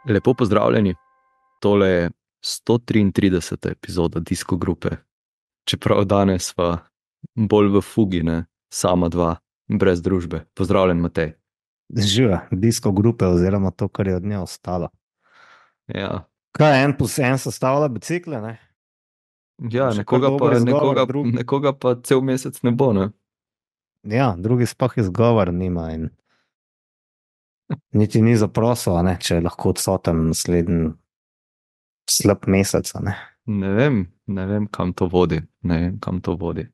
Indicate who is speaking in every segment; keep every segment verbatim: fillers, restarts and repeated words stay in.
Speaker 1: Lepo pozdravljeni, tole je sto triintrideseta epizoda Disko grupe. Čeprav danes sva bolj v fugi, ne, sama dva, brez družbe. Pozdravljen, Matej.
Speaker 2: Živa, disko grupe oziroma to, kar je od nje ostalo.
Speaker 1: Ja,
Speaker 2: Kaj en plus en sestavlja bicikle, ne?
Speaker 1: ja
Speaker 2: Še
Speaker 1: nekoga,
Speaker 2: kar dober
Speaker 1: pa,
Speaker 2: izgovor,
Speaker 1: nekoga,
Speaker 2: drug-
Speaker 1: nekoga pa cel mesec ne bo, ne?
Speaker 2: Ja, drugi sploh izgovor nima in niti ni zaprosil, a ne, če je lahko odsoten naslednji slab mesec, a ne.
Speaker 1: Ne vem, ne vem, kam to vodi, ne vem, kam to vodi.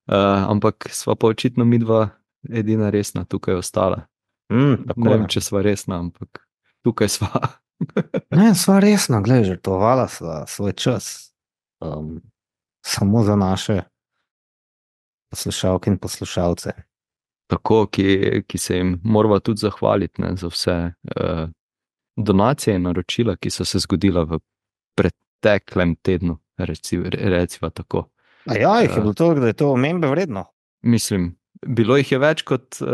Speaker 1: Uh, ampak sva pa očitno midva edina resna tukaj ostala.
Speaker 2: Mm, tako
Speaker 1: Ne vem,
Speaker 2: je.
Speaker 1: če sva resna, ampak tukaj sva.
Speaker 2: Ne, sva resna, glej, žrtvovala sva svoj čas. Um, samo za naše poslušalke in poslušalce.
Speaker 1: Tako, ki, ki se jim morava tudi zahvaliti, ne, za vse uh, donacije in naročila, ki so se zgodila v preteklem tednu, reci, reciva tako.
Speaker 2: A ja, jih je
Speaker 1: Ja.
Speaker 2: bilo toliko, da je to omembe vredno.
Speaker 1: Mislim, bilo jih je več kot uh,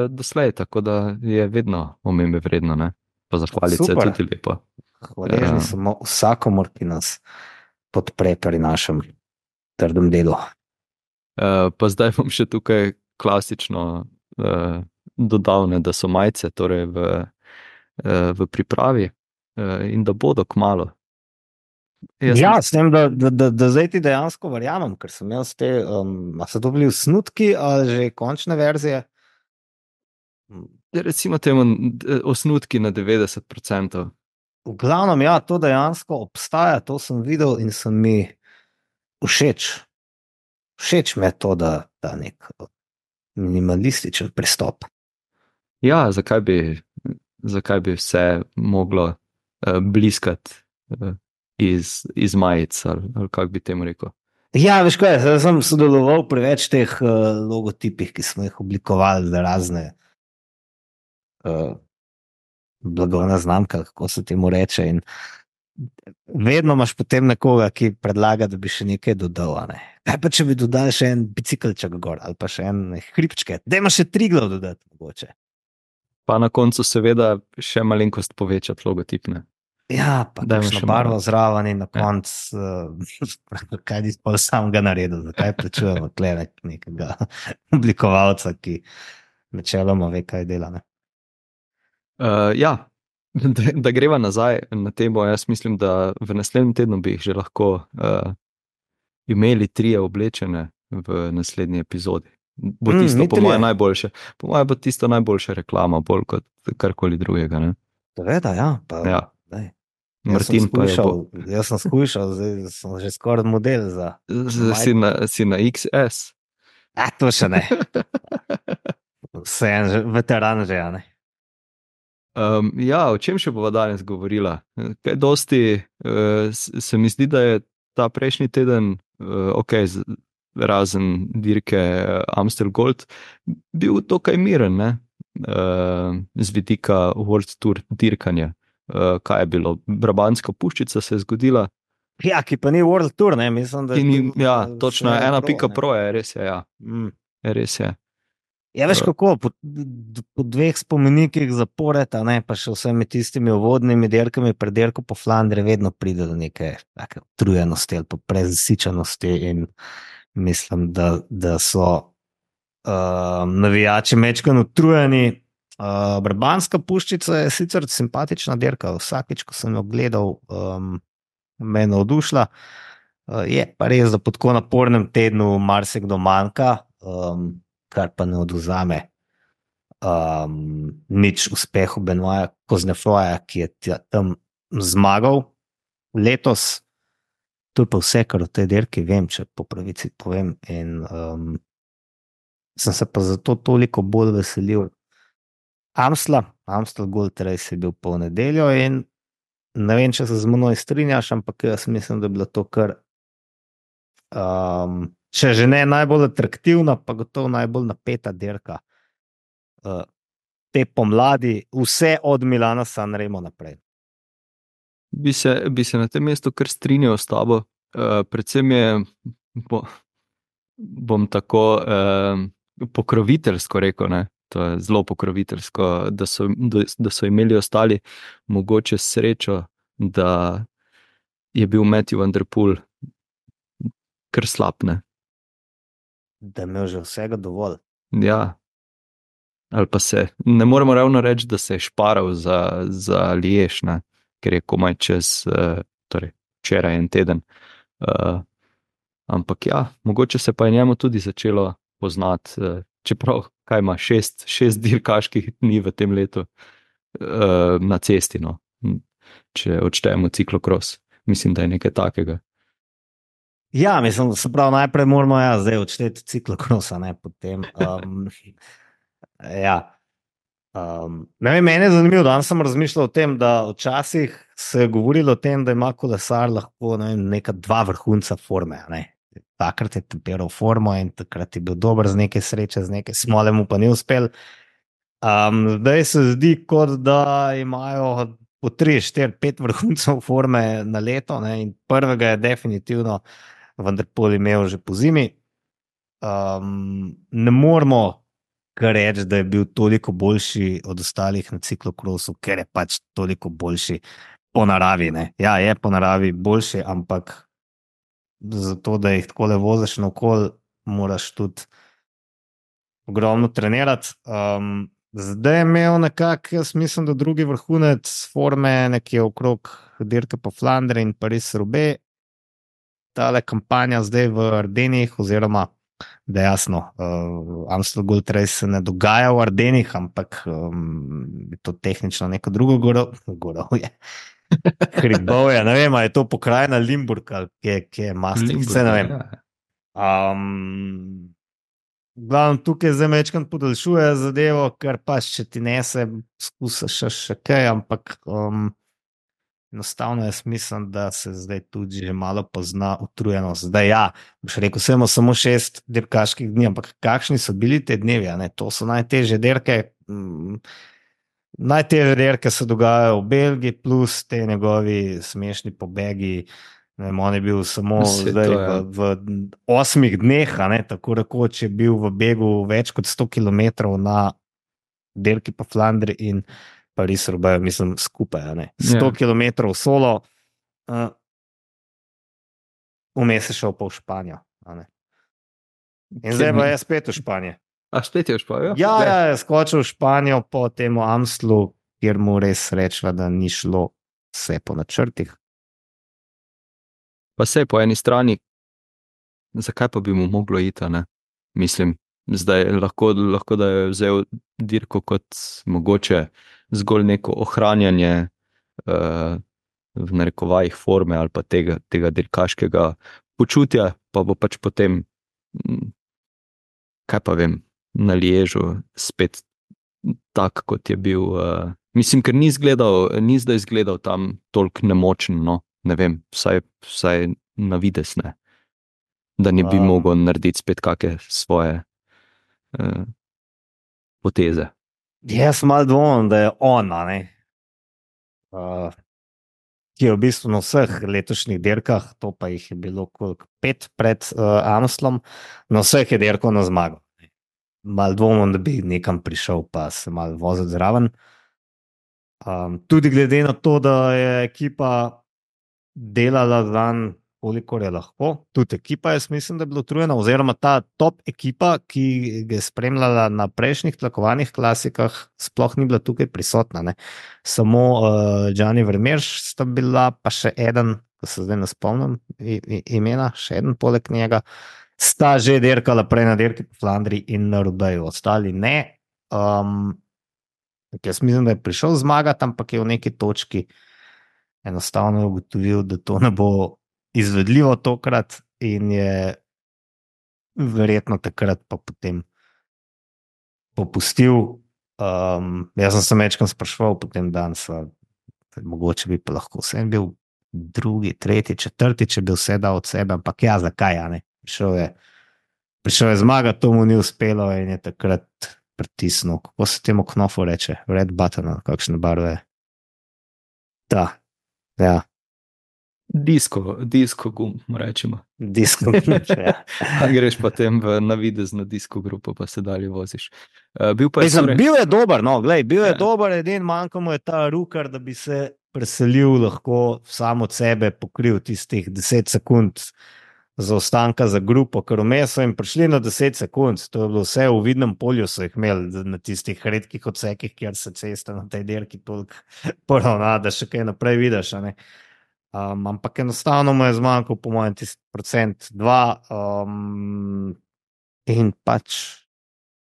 Speaker 1: doslej, tako da je vedno omembe vredno, ne? Pa zahvaliti se je
Speaker 2: Super.
Speaker 1: tudi lepo.
Speaker 2: Hvaležni
Speaker 1: Ja.
Speaker 2: smo vsakomor, ki nas podpre pri našem trdem delu.
Speaker 1: Uh, pa zdaj bom še tukaj klasično uh, dodal, ne, da so majice torej v, uh, v pripravi uh, in da bodo kmalu. Jaz
Speaker 2: Ja,
Speaker 1: mislim-
Speaker 2: s tem, da, da, da, da zdaj ti dejansko verjamem, ker sem jaz te, um, a so to bili snutki ali že končne verzije?
Speaker 1: Recimo temu d- osnutki na devetdeset procentov.
Speaker 2: V glavnem, ja, to dejansko obstaja, to sem videl in sem mi všeč. Všeč mi je to, da da nek minimalističen pristop.
Speaker 1: Ja, zakaj bi, zakaj bi vse moglo uh, bliskati uh, iz, iz majic, ali, ali kako bi temu rekel.
Speaker 2: Ja, veš kaj, zdaj sem sodeloval pri več teh uh, logotipih, ki smo jih oblikovali za razne uh, blagovna znamka, kako se temu reče. In vedno imaš potem nekoga, ki predlaga, da bi še nekaj dodal. a Ne? Kaj pa če bi dodal še en bicikelček gor ali pa še en hribčke, da imaš še tri glav dodati mogoče.
Speaker 1: Pa na koncu seveda še malenkost povečati logotipne.
Speaker 2: Ja, pa
Speaker 1: Dajmo
Speaker 2: kakšno
Speaker 1: še
Speaker 2: barvo
Speaker 1: malo.
Speaker 2: zraven in na
Speaker 1: Ja.
Speaker 2: koncu, uh, kaj ti pa sam ga naredil, zakaj plačujemo tle nek- nekega oblikovalca, ki načeloma ve, kaj dela. Ne?
Speaker 1: Uh, ja, da, da greva nazaj na temo, jaz mislim, da v naslednjem tednu bi jih že lahko uh, imeli trije oblečene v naslednji epizodi. Bo
Speaker 2: Mm,
Speaker 1: tisto,
Speaker 2: mi
Speaker 1: po
Speaker 2: trije.
Speaker 1: mojem, najboljše. Po mojem bo tisto najboljša reklama, bolj kot karkoli drugega. Ne?
Speaker 2: Seveda, ja. Pa,
Speaker 1: Ja.
Speaker 2: daj. Jaz sem
Speaker 1: Martin pa je
Speaker 2: skušal,
Speaker 1: bo.
Speaker 2: jaz sem skušal, zdaj sem že skoraj model za.
Speaker 1: Z- Si na, si na X S.
Speaker 2: A, to še ne. Vse en že, veteran že, a ne.
Speaker 1: Um, ja, o čem še bova danes govorila? Kaj dosti uh, se mi zdi, da je ta prejšnji teden, uh, ok, z, razen dirke uh, Amstel Gold, bil dokaj miren, ne? Uh, z vidika World Tour dirkanja. Uh, kaj je bilo? Brabantska puščica se je zgodila.
Speaker 2: Ja, ki pa ni World Tour, ne, mislim, da
Speaker 1: Ki ni,
Speaker 2: bil,
Speaker 1: ja,
Speaker 2: eh,
Speaker 1: točno
Speaker 2: vse
Speaker 1: ena
Speaker 2: pro,
Speaker 1: pika
Speaker 2: ne.
Speaker 1: pro je, res je, ja.
Speaker 2: Mm.
Speaker 1: Res je.
Speaker 2: Ja, veš
Speaker 1: Eh.
Speaker 2: kako, po, d- po dveh spomenikih zapored, a ne, pa še vsemi tistimi uvodnimi dirkami pred dirko po Flandri vedno pride do neke take utrujenosti ali pa prezasičenosti in mislim, da, da so uh, navijači mečkan utrujeni. Uh, Brabantska puščica je sicer simpatična dirka, vsakič, ko sem jo gledal, um, me je navdušila. Uh, je pa res, da po tako napornem tednu marsikdo manjka, um, kar pa ne odvzame um, nič uspehu Benoita Koznefroja, ki je tja- tam zmagal letos. To je pa vse, kar o tej dirki vem, če po pravici povem. In um, sem se pa zato toliko bolj veselil Amstla, Amstel Gold Race je bil po nedeljo in ne vem, če se z menoj strinjaš, ampak jaz mislim, da je bila to kar, um, če že ne najbolj atraktivna, pa gotovo najbolj napeta dirka uh, te pomladi, vse od Milana Sanremo naprej.
Speaker 1: Bi se, bi se na tem mestu kar strinjal s tabo. Uh, predvsem je, bo, bom tako uh, pokroviteljsko rekel, ne, To je zelo pokroviteljsko, da so, da so imeli ostali mogoče srečo, da je bil Matthew Van Der Poel kar slab, ne?
Speaker 2: Da je imel že vsega dovolj.
Speaker 1: Ja. Ali pa se, ne moremo ravno reči, da se je šparal za, za Liež, ne? Ker je komaj čez, uh, torej včeraj en teden. Uh, ampak ja, mogoče se pa je njemu tudi začelo poznati, uh, čeprav kaj ima šest, šest dirkaških dni v tem letu uh, na cesti, no? Če odštejemo ciklokros. Mislim, da je nekaj takega.
Speaker 2: Ja, mislim, se pravi, najprej moramo ja, zdaj odšteti ciklokrosa, ne potem. Um, ja. Um, ne vem, meni je zanimivo, danes sem razmišljal o tem, da včasih se je govorilo o tem, da ima kolesar lahko ne vem, neka dva vrhunca forme. Ne? Takrat je temperal formo in takrat je bil dober z neke sreče, z neke smole mu pa ni uspel. Um, zdaj se zdi, kot da imajo po tri, štiri, pet vrhuncev forme na leto, ne? In prvega je definitivno Van Der Poel imel že po zimi. Um, ne moramo kar reči, da je bil toliko boljši od ostalih na ciklokrosu, ker je pač toliko boljši po naravi. Ne? Ja, je po naravi boljši, ampak zato, da jih takole voziš naokoli, moraš tudi ogromno trenirati. Um, zdaj je imel nekako, jaz mislim, da drugi vrhunec forme nekje okrog dirke po Flandriji in Paris-Roubaix. Tale kampanja zdaj v Ardenih, oziroma da jasno, uh, Amstel Gold Race se ne dogaja v Ardenih, ampak um, je to tehnično neko drugo gorovje. Hribovje, ne vem, je to pokrajina Limburg ali kje, kje je Maastricht, vse ne vem. Um, glavno tukaj zdaj mečkam podaljšuje zadevo, ker pač če ti nese, skusaš še, še kaj, ampak um, enostavno jaz mislim, da se zdaj tudi že malo pozna utrujenost. Zdaj ja, boš rekel, vse imamo samo šest dirkaških dni, ampak kakšni so bili te dnevi, ne? To so najtežje dirke. Mm, najtežje dirke se dogajajo v Belgiji, plus te njegovi smešni pobegi. Ne vem, on je bil samo zdaj
Speaker 1: to,
Speaker 2: ja. v, v osmih dneh, ne? Tako rekoč je bil v begu več kot sto kilometrov na dirki po Flandriji in Paris-Roubaix, mislim, skupaj, ne. sto kilometrov solo, uh, vmes je šel pa v Španijo, ne. In zdaj pa je spet v Španiji.
Speaker 1: A spet je v Španijo?
Speaker 2: Ja, ja, je skočil v Španijo po temu Amstlu, kjer mu res rečva, da ni šlo vse po načrtih.
Speaker 1: Pa sej po eni strani, zakaj pa bi mu moglo iti, ne? Mislim, zdaj lahko, lahko da je vzel dirko kot mogoče zgolj neko ohranjanje uh, v narekovajih forme ali pa tega, tega dirkaškega počutja, pa bo pač potem, kaj pa vem, na Liežu spet tak, kot je bil. Uh, mislim, ker ni izgledal, ni zdaj izgledal tam toliko nemočen, no, ne vem, vsaj, vsaj na vides ne, da ne bi um. mogel narediti spet kakšne svoje uh, poteze.
Speaker 2: Jaz malo dvomim, da je ona, ne, uh, ki je v bistvu na vseh letošnjih dirkah, to pa jih je bilo koliko pet pred uh, Amstlom, na vseh je dirko na zmago. Malo dvomim, da bi nekam prišel pa se malo voziti zraven. Um, tudi glede na to, da je ekipa delala dan, kolikor je lahko, tudi ekipa jaz mislim, da je bila utrujena, oziroma ta top ekipa, ki je spremljala na prejšnjih tlakovanih klasikah, sploh ni bila tukaj prisotna, ne. Samo uh, Gianni Vermeersch sta bila, pa še eden, ko se zdaj ne spomnim imena, še eden poleg njega, sta že dirkala prej na dirki po Flandriji in na Roubaixu, ostali ne. Um, jaz mislim, da je prišel zmagati, ampak je v neki točki enostavno ugotovil, da to ne bo izvedljivo tokrat in je verjetno takrat pa potem popustil. Um, jaz sem se večkrat spraševal potem danes, mogoče bi pa lahko vsem bil drugi, tretji, četrti, če bi vse dal od sebe, ampak ja, zakaj, ja, ne? Prišel je, prišel je zmagati, to mu ni uspelo in je takrat pritisnil, kako se temu knofu reče, red button, kakšne barve. Da, ja.
Speaker 1: Disko, disko gum, rečemo.
Speaker 2: Disko, ja.
Speaker 1: A greš potem v navidezno disko grupo, pa se dalje voziš. Uh, bil pa je
Speaker 2: Mislim,
Speaker 1: Soren.
Speaker 2: bil je dober, no, glej, bil je
Speaker 1: Ja.
Speaker 2: dober, edin manjka mu je ta rukar, da bi se preselil lahko sam od sebe, pokril tistih deset sekund zaostanka za grupo, ker vmes so jim prišli na deset sekund, to je bilo vse v vidnem polju, so jih imeli na tistih redkih odsekih, kjer se cesta na tej dirki toliko poravna, da še kaj naprej vidiš, a ne. Um, ampak enostavno mu je zmanjkal, po mojem, tisti procent dva um, in pač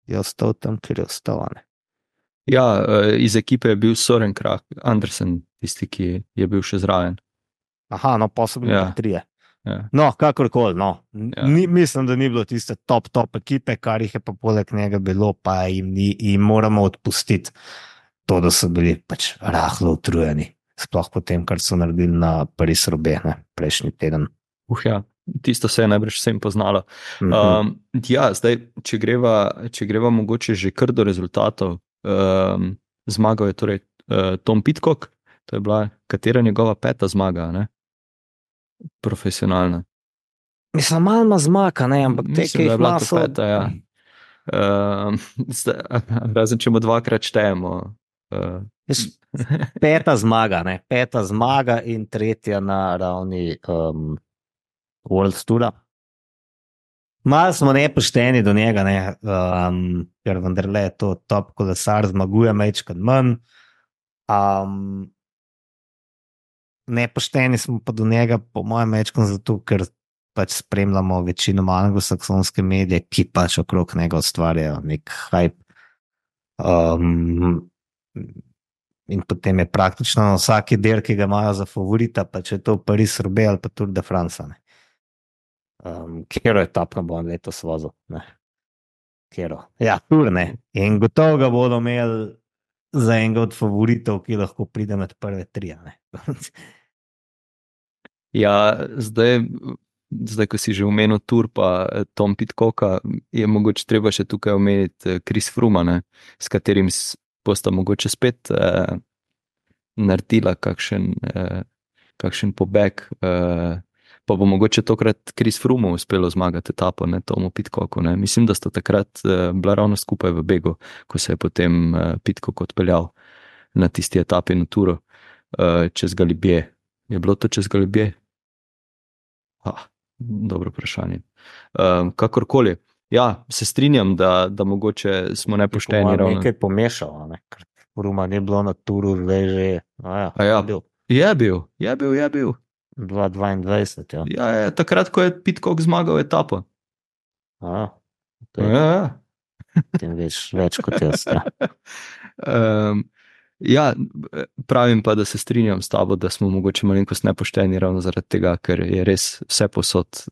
Speaker 2: je ostal tam, kjer je ostal. Ne?
Speaker 1: Ja, uh, iz ekipe je bil Soren Krah, Andersen, tisti, ki je bil še zraven.
Speaker 2: Aha, no, pa so bili
Speaker 1: Ja.
Speaker 2: pa trije.
Speaker 1: Ja.
Speaker 2: No, kakorkoli, no.
Speaker 1: Ja.
Speaker 2: Ni, mislim, da ni bilo tiste top, top ekipe, kar jih je pa poleg njega bilo, pa jim, ni, jim moramo odpustiti to, da so bili pač rahlo utrujeni. Sploh po tem, kar so naredili na Paris-Roubaix prejšnji teden.
Speaker 1: Uh, ja. Tisto se je najbrž vsem poznalo.
Speaker 2: Mhm.
Speaker 1: Um, ja, zdaj, če greva, če greva mogoče že kar do rezultatov, um, zmagal je torej uh, Tom Pidcock, to je bila katera njegova peta zmaga, ne? Profesionalna.
Speaker 2: Mislim, malo ima zmaka, ne, ampak te,
Speaker 1: Mislim,
Speaker 2: ki
Speaker 1: da je
Speaker 2: jih
Speaker 1: bila
Speaker 2: ima,
Speaker 1: to
Speaker 2: so...
Speaker 1: peta, ja. Um, zdaj, razen če mu dvakrat štejemo. Uh,
Speaker 2: Veš, Peta zmaga, ne, peta zmaga in tretja na ravni um, World Toura. Malo smo nepošteni do njega, ne, um, ker vendarle je to top kolesar, zmaguje mečkrat manj. Um, nepošteni smo pa do njega, po mojem, mečkrat zato, ker pač spremljamo večinoma anglosaksonske medije, ki pač okrog njega ustvarjajo nek hype. Um, in potem je praktično na vsaki del, ki ga imajo za favorita, pa če je to Paris-Roubaix ali pa Tour de France. Um, Kjero je top, bo on letos vozil. Ne. Kjero. Ja, Tour ne. In gotovo ga bodo imeli za enega od favoritov, ki lahko pride med prve tri.
Speaker 1: ja, zdaj, zdaj, ko si že omenil Tour pa Tom Pidcocka, je mogoče treba še tukaj omeniti Chris Froome, s katerim bosta mogoče spet eh, naredila kakšen, eh, kakšen pobeg, eh, pa bo mogoče tokrat Chris Froome uspelo zmagati etapo, ne Tomu Pidcocku. Ne. Mislim, da sta takrat eh, bila ravno skupaj v begu, ko se je potem eh, Pidcock odpeljal na tisti etapi na Touru eh, čez Galibier. Je bilo to čez Galibier? Ah, dobro vprašanje. Um, kakorkoli. Ja, se strinjam, da, da mogoče smo nepošteni.
Speaker 2: Je nekaj pomešalo, ne? Ker Fruma ni bilo na Touru, zdaj že. Ja,
Speaker 1: ja, bil. Je bil, je bil, je bil.
Speaker 2: dva tisoč dvaindvajset, ja.
Speaker 1: Ja, je, takrat, ko je Pidcock zmagal etapo.
Speaker 2: A,
Speaker 1: ja, ja.
Speaker 2: Tem več, več kot jaz. Ja.
Speaker 1: um, ja, pravim pa, da se strinjam s tabo, da smo mogoče malenkost nepošteni ravno zaradi tega, ker je res vse posod,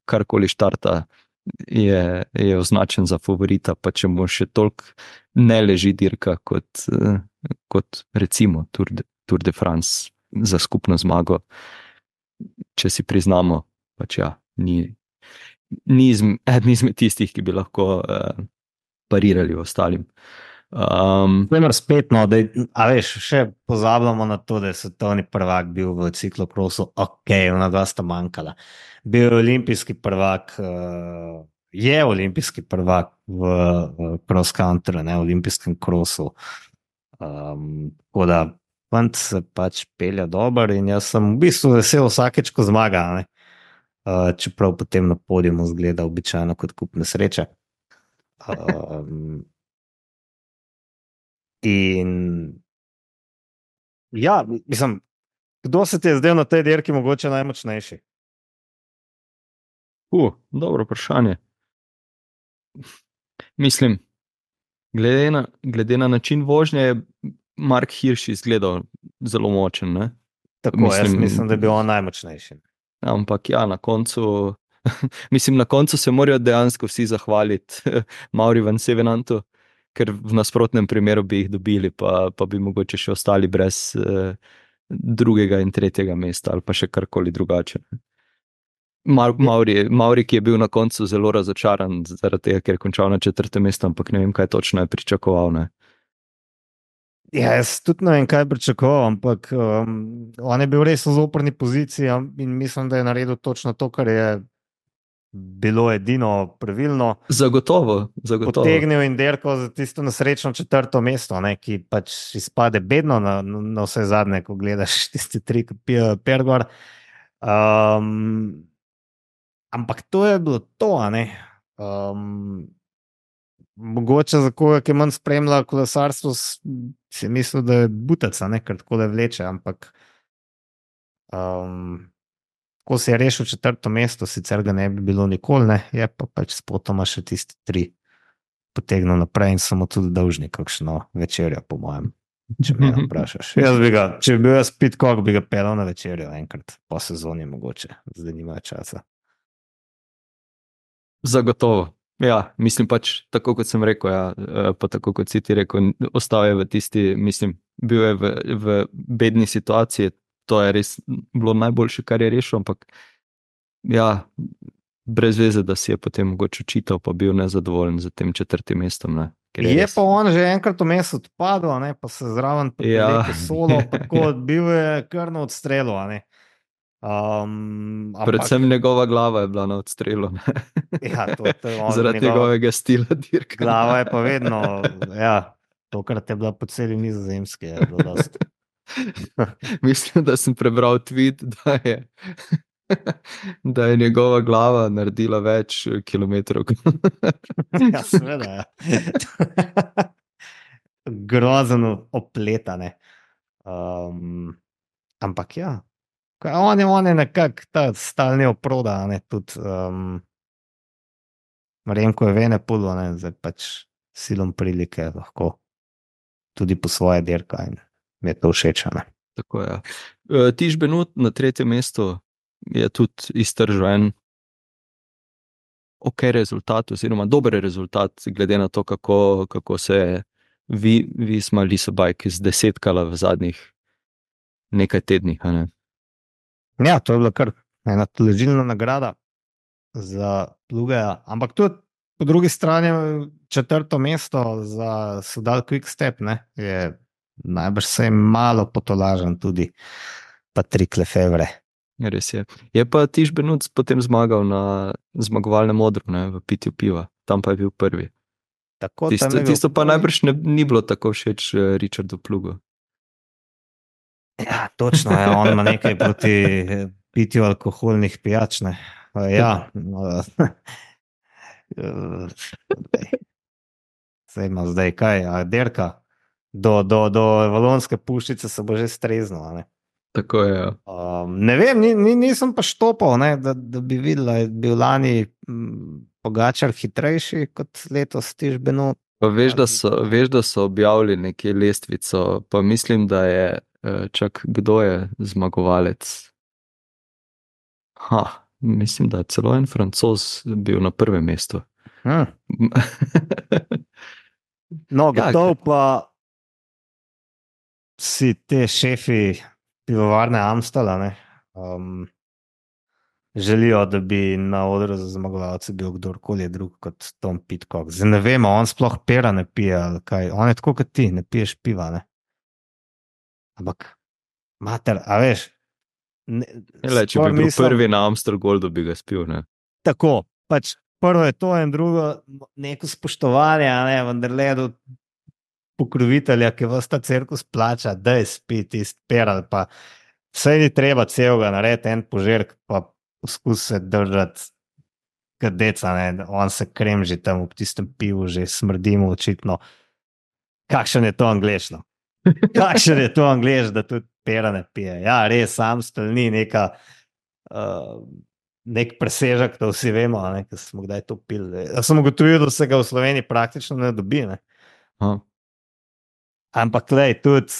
Speaker 1: karkoli štarta, je, je označen za favorita, pa če mu še toliko ne leži dirka kot, kot recimo Tour de, Tour de France za skupno zmago, če si priznamo, pač ja, ni, ni eden izmed tistih, ki bi lahko uh, parirali ostalim. Um,
Speaker 2: spet, no, da, a veš, še pozabljamo na to, da je svetovni prvak bil v ciklokrosu, ok, ona dva sta manjkala. Bil je olimpijski prvak, uh, je olimpijski prvak v uh, cross country, ne, v olimpijskem krosu. Um, tako da fant se pač pelja dober in jaz sem v bistvu vesel vsakeč, ko zmaga, ne. Uh, čeprav potem na podiumu zgleda običajno kot kup nesreče. Um, In ja, mislim, kdo se ti je zdaj na tej dirki mogoče najmočnejši?
Speaker 1: Uh, dobro vprašanje. Mislim, glede na, glede na način vožnje je Mark Hirsch izgledal zelo močen. Ne?
Speaker 2: Tako, mislim, jaz mislim, da je bil on najmočnejši.
Speaker 1: Ampak ja, na koncu, mislim, na koncu se morajo dejansko vsi zahvaliti Mauri van Sevenantu, ker v nasprotnem primeru bi jih dobili, pa, pa bi mogoče še ostali brez eh, drugega in tretjega mesta ali pa še karkoli drugače. Mauri, Mauri, ki je bil na koncu zelo razočaran zaradi tega, ker je končal na četrtem mestu, ampak ne vem, kaj točno je pričakoval. Ne?
Speaker 2: Ja, jaz tudi ne vem, kaj pričakoval, ampak um, on je bil res v zoprni poziciji in mislim, da je naredil točno to, kar je bilo edino pravilno.
Speaker 1: Zagotovo, zagotovo.
Speaker 2: Potegnil in derko za tisto nesrečno četrto mesto, ne, ki pač izpade bedno na, na vse zadnje, ko gledaš tiste tri, ki pijejo pergor. Um, ampak to je bilo to, a ne. Um, mogoče za koga, ki manj spremlja kolesarstvo, si mislil, da je butaca, ne, ker tako le vleče, ampak um, ko si je rešil četrto mesto, sicer ga ne bi bilo nikoli, ne, je pa pač spotoma še tisti tri potegnil naprej in samo tudi dolžni kakšno večerjo, po mojem, če me vprašaš. Jaz bi ga, če bi bil jaz Pidcock, bi ga pelal na večerjo enkrat po sezoni mogoče, zdaj nima časa.
Speaker 1: Zagotovo. Ja, mislim pač, tako kot sem rekel, ja, pa tako kot si ti rekel, ostal je v tisti, mislim, bil je v, v bedni situaciji, to je res bilo najboljše, kar je rešil, ampak ja, brez veze, da si je potem mogoče očital, pa bil nezadovoljen z tem četrtim mestom. Ne,
Speaker 2: je je res... pa on že enkrat vmes odpadel, ne, pa se zraven
Speaker 1: ja.
Speaker 2: solo, tako bil je kar na odstrelu, a ne. Um, ampak,
Speaker 1: Predvsem njegova glava je bila na odstrelu.
Speaker 2: Ja, to, to je
Speaker 1: zaradi
Speaker 2: njegova,
Speaker 1: njegovega stila dirka.
Speaker 2: Glava je pa vedno, ja, tokrat je bila po celi Nizozemski. Je
Speaker 1: Mislim, da sem prebral tweet, da je, da je njegova glava naredila več kilometrov.
Speaker 2: Ja, seveda, ja. Grozno opletane. Um, ampak ja, on je, on je nekak ta stalni oproda, ne, tudi um, Remko je vene pulo, ne, zdaj pač silom prilike lahko tudi po svoje dirka in mi je to všeč, ne.
Speaker 1: Tako je. Tiš Benoot na tretjem mestu je tudi iztržil en ok rezultat, oziroma dober rezultat, glede na to, kako, kako se je Visma Lease-a-Bike zdesetkala v zadnjih nekaj tednih, a ne.
Speaker 2: Ja, to je bila kar ena teležilna nagrada za Plugeja, ampak tudi po drugi strani četrto mesto za Soudal Quick-Step, ne, je najbrž se je malo potolažen tudi Patrick Lefevre.
Speaker 1: Res je. Je pa Tiš Benoot potem zmagal na zmagovalnem odru, ne, v pitju piva, tam pa je bil prvi.
Speaker 2: Tako,
Speaker 1: tisto,
Speaker 2: bil
Speaker 1: tisto pa
Speaker 2: prvi.
Speaker 1: najbrž ne, ni bilo tako všeč Richardu Plugu.
Speaker 2: Ja, točno je, on ima nekaj proti pitju alkoholnih pijač, ne. Ja, zdaj ima zdaj kaj, a derka, do, do, do Valonske puščice se bo že streznila, ne.
Speaker 1: Tako je, ja.
Speaker 2: Um, ne vem, ni, ni, nisem pa štopal, ne, da, da bi videl, da je bil lani m, Pogačar hitrejši kot letos Tiš Benoot.
Speaker 1: Pa veš, da so, veš, da so objavili nekje lestvico, pa mislim, da je, čak, kdo je zmagovalec? Ha, mislim, da je celo en Francoz bil na prvem mestu.
Speaker 2: Hmm. No, gotov ja, pa si te šefi pivovarne Amstela, ne, um, želijo, da bi na odru za zmagovalce bil kdorkoli drug kot Tom Pidcock. Zdaj ne vemo, on sploh pera ne pije, ali kaj. On je tako kot ti, ne piješ piva, ne. Ampak, mater, a veš, ne,
Speaker 1: Le, če bi bil mislim, prvi na Amstel Goldu, bi ga spil, ne.
Speaker 2: Tako, pač prvo je to in drugo neko spoštovanje, ne, vendar le do pokrovitelja, ki vas ta cirkus plača, da je spi tist peral, pa vse ni treba celega narediti en požirk, pa poskus se držati kadeca, ne, on se kremži tam v tistem pivu, že smrdimo očitno. Kakšen je to anglešno? Kakšen je to angleš, da tudi pera ne pije? Ja, res, Amstel ni neka uh, nek presežek, to vsi vemo, ne, ker smo kdaj to pili. Ja sem ugotovil, da se ga v Sloveniji praktično ne dobi, ne.
Speaker 1: Aha.
Speaker 2: Ampak lej, tudi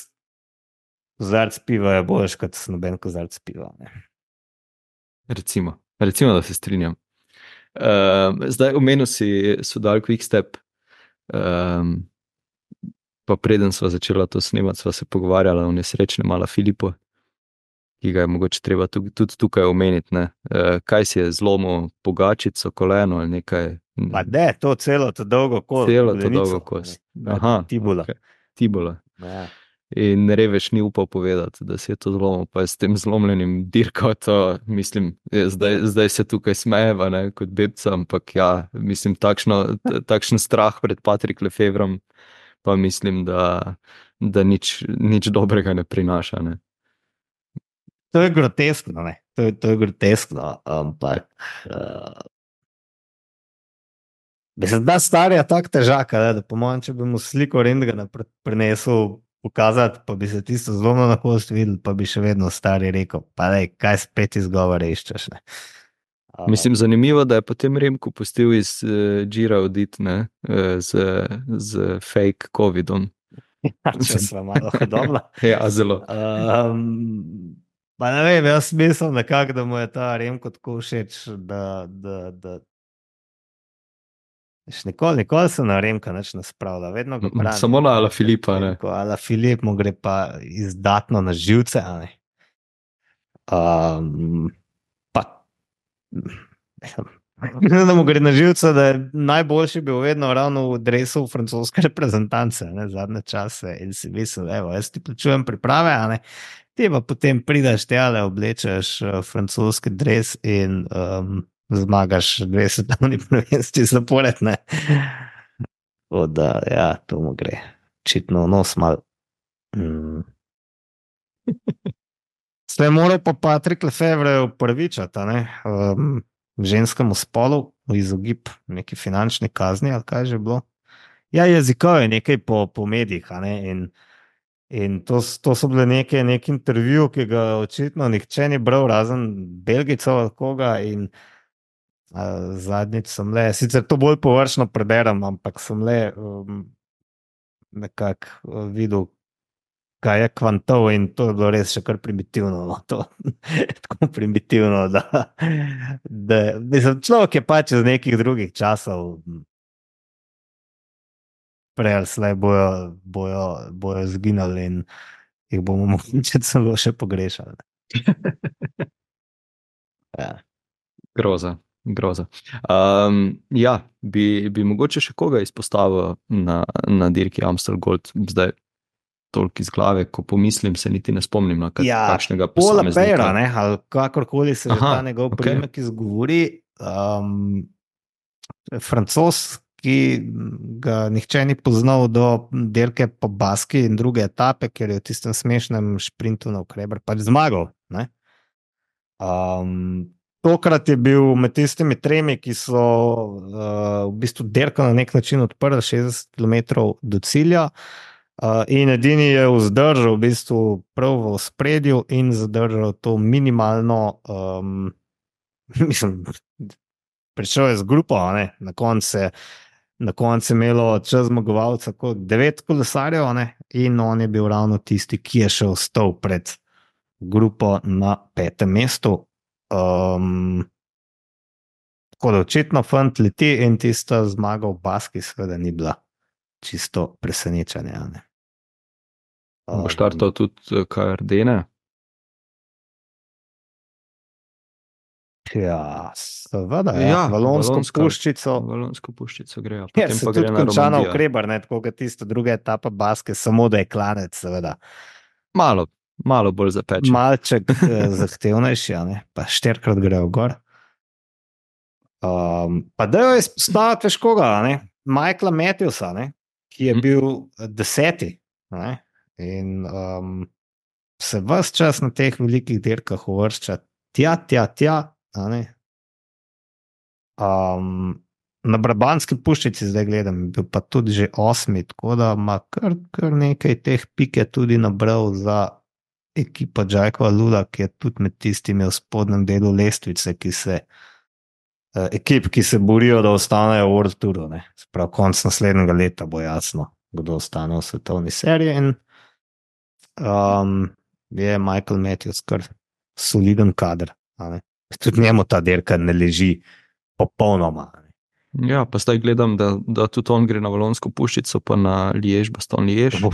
Speaker 2: kozarc piva je boljš kot noben kozarc piva, ne.
Speaker 1: Recimo, recimo, da se strinjam. Uh, zdaj omenil si Soudal Quick-Step, um, pa preden sva začela to snemati, sva se pogovarjala o nesrečnem Ala Filipu, ki ga je mogoče treba tudi, tudi tukaj omeniti, ne. Uh, kaj si je zlomil Pogačico, koleno ali nekaj?
Speaker 2: Pa ne, to celo to dolgo kost.
Speaker 1: Celo to dolgo kost. Aha,
Speaker 2: Tibula.
Speaker 1: Okay. Tibula.
Speaker 2: Ja.
Speaker 1: in Revež ni upal povedati, da si je to zlomil, pa je s tem zlomljenim dirkal to, mislim, je, zdaj, zdaj se tukaj smejeva, ne, kot bebca, ampak ja, mislim, takšno, t- takšen strah pred Patrick Lefevrom, pa mislim, da, da nič, nič dobrega ne prinaša, ne.
Speaker 2: To je groteskno, ne. To je, to je groteskno, ampak uh, mislim, da starja tako težaka, ne, da po mojem, če bi mu sliko rentgena pre- prinesel pokazati, pa bi se tisto zlomno na kost videl, pa bi še vedno stari rekel, pa daj, kaj spet izgovore iščeš, ne. Uh,
Speaker 1: Mislim, zanimivo, da je potem Remko pustil iz uh, Gira odit, ne, uh, z, z fake covidom.
Speaker 2: če sva malo hodobla.
Speaker 1: Ja, zelo.
Speaker 2: Um, pa ne vem, jaz mislim nekako, da mu je ta Remko tako všeč, da, da, da Veš, nikoli, nikoli se na Remka nič ne spravlja, vedno ga
Speaker 1: M-
Speaker 2: brani.
Speaker 1: samo na Ala Filipa, ne.
Speaker 2: Ala Filip mu gre pa izdatno na živce, a ne. Um, pa, da mu gre na živce, da je najboljši bil vedno ravno v dresu francoske reprezentance, ne, zadnje čase, in si mislil, evo, jaz ti plačujem priprave, a ne, ti pa potem prideš tjale, oblečeš uh, francoski dres in um, zmagaš dve svetovni prvenstvi zapored, ne. O, da, ja, to mu gre. Očitno v nos mal. Mm. Sve moral pa Patrick Lefevre upravičati, a ne, um, ženskemu spolu v izogib neki finančni kazni, ali kaj že bilo. Ja, jezikov je nekaj po, po medijih, a ne, in, in to, s- to so bile neke, nek intervju, ki ga očitno nihče ni bral, razen Belgicov ali koga, in uh, zadnjič sem le, sicer to bolj površno preberem, ampak sem le um, nekako uh, videl, kaj je kvantov, in to je bilo res še kar primitivno. No, to, tako primitivno, da, da mislim, človek je pač iz nekih drugih časov, prej ali slej bojo, bojo, bojo zginili in jih bomo mogoče celo še pogrešali. Ja.
Speaker 1: Groza, groza. Um, ja, bi, bi mogoče še koga izpostavil na, na dirki Amstel Gold, zdaj toliko iz glave, ko pomislim, se niti ne spomnim na kak,
Speaker 2: Ja,
Speaker 1: kakšnega
Speaker 2: Paula
Speaker 1: posameznika.
Speaker 2: Beira, ne, ali kakorkoli se že
Speaker 1: Aha,
Speaker 2: ta njegov
Speaker 1: ok.
Speaker 2: priimek izgovori, um, Francoz, ki ga nihče ni poznal do dirke po Baski in druge etape, ker je v tistem smešnem šprintu na Kreber pač zmagal. Ne? Um, tokrat je bil med tistimi tremi, ki so uh, v bistvu dirko na nek način odprli šestdeset kilometrov do cilja. Uh, in edini je vzdržal, v bistvu prav v ospredju in zadržal to minimalno, um, mislim, prišel je z grupo, a ne, na koncu je, na koncu je imelo čez zmagovalca kot devet kolesarjev, a ne, in on je bil ravno tisti, ki je še ostal pred grupo na petem mestu. Um, tako da očitno fant leti in tista zmaga v Baski seveda ni bila čisto presenečenje, a ne.
Speaker 1: Bo štartal tudi K R D-ne?
Speaker 2: Ja, seveda, ja.
Speaker 1: Ja,
Speaker 2: Valonsko
Speaker 1: Valonska.
Speaker 2: puščico.
Speaker 1: Valonsko puščico grejo,
Speaker 2: Ja,
Speaker 1: potem
Speaker 2: se
Speaker 1: pa
Speaker 2: tudi
Speaker 1: gre na
Speaker 2: konča na
Speaker 1: Romandijo.
Speaker 2: Krebar, ne, tako kot tista druga etapa Baske, samo da je klanec, seveda.
Speaker 1: Malo, malo bolj zapeče.
Speaker 2: Malček eh, zahtevnejši, a ne, pa štirikrat grejo gor. Um, pa da jo izpostaviti veš koga, a ne, Michaela Matthewsa, ne, ki je
Speaker 1: Mhm.
Speaker 2: bil eh, deseti, a ne, in um, se ves čas na teh velikih dirkah uvršča tja, tja, tja, a ne. Um, na Brabantski puščici zdaj gledam, je bil pa tudi že osmi, tako da ima kar, kar nekaj teh pike tudi nabral za ekipo Jacka Lula, ki je tudi med tistimi v spodnjem delu lestvice, ki se, uh, ekip, ki se borijo, da ostanejo v World Touru. Sprav konc naslednjega leta bo jasno, kdo ostane v svetovni seriji, in um, je Michael Matthews kar soliden kader. A ne. Tudi njemu ta dirka ne leži popolnoma.
Speaker 1: Ja, pa zdaj gledam, da, da tudi on gre na Valonsko puščico, pa na Liež, Baston Liež.
Speaker 2: Bo,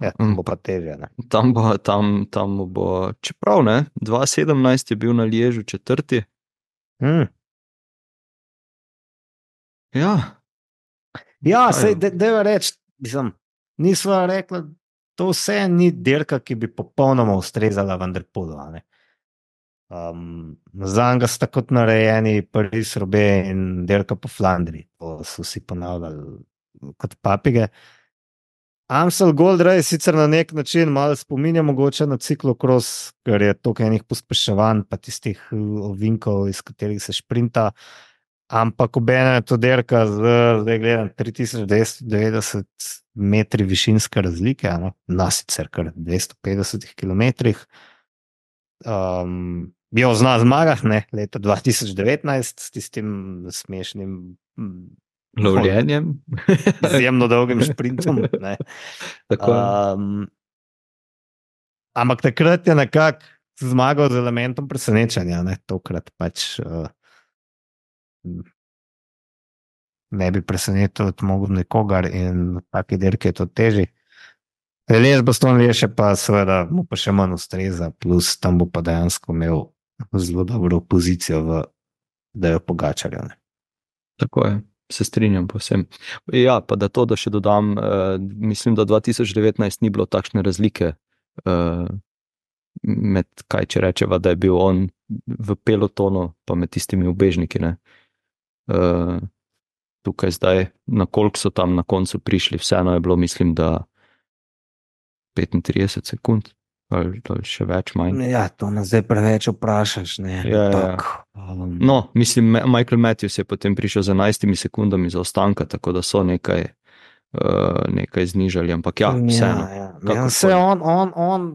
Speaker 2: ja, tam bo pa težje. Ne?
Speaker 1: Tam bo, tam, tam bo, čeprav ne, dva tisoč sedemnajst je bil na Liežu četrti.
Speaker 2: Hmm.
Speaker 1: Ja.
Speaker 2: Ja,
Speaker 1: Kaj
Speaker 2: sej,
Speaker 1: je?
Speaker 2: de, deva reči, mislim, nisva rekla, to vse ni dirka, ki bi popolnoma ustrezala Vanderpoolu. Um, za njega sta kot narejeni Paris-Roubaix in dirka po Flandriji. To so vsi ponavljali kot papige. Amstel Gold Race sicer na nek način malo spominja mogoče na ciklokros, ker je toliko enih pospeševanj pa tistih ovinkov, iz katerih se šprinta, ampak obenem je to dirka z, zdaj gledam, tri tisoč devetsto devetdeset metri višinske razlike, no? Na sicer kar dvesto petdeset kilometrih. Um, jo zna zmagah, ne, leta dva tisoč devetnajst s tistim smešnim
Speaker 1: lovljenjem.
Speaker 2: Izjemno dolgim šprintom. Um, ampak takrat je nekako zmagal z elementom presenečanja. Ne? Tokrat pač uh, ne bi presenetil mogel nikogar in taki dirki je to teži. Les Baston Lieše pa seveda mu pa še manj ustreza, plus tam bo pa dejansko imel zelo dobro pozicijo, v, da jo Pogačarja.
Speaker 1: Tako je. Se strinjam povsem. Ja, pa da to, da še dodam, uh, mislim, da dva tisoč devetnajst ni bilo takšne razlike uh, med, kaj če rečeva, da je bil on v pelotonu, pa med tistimi ubežniki. Ne? Uh, tukaj zdaj, na koliko so tam na koncu prišli, vseeno je bilo, mislim, da petintrideset sekund ali, ali še več manj.
Speaker 2: Ja, to nas zdaj preveč vprašaš. Ne?
Speaker 1: Ja, ja. Um... No, mislim, Michael Matthews je potem prišel z enajstimi sekundami zaostanka, tako da so nekaj, uh, nekaj znižali, ampak ja, vseeno.
Speaker 2: Ja, ja. Ja, vse on, on, on,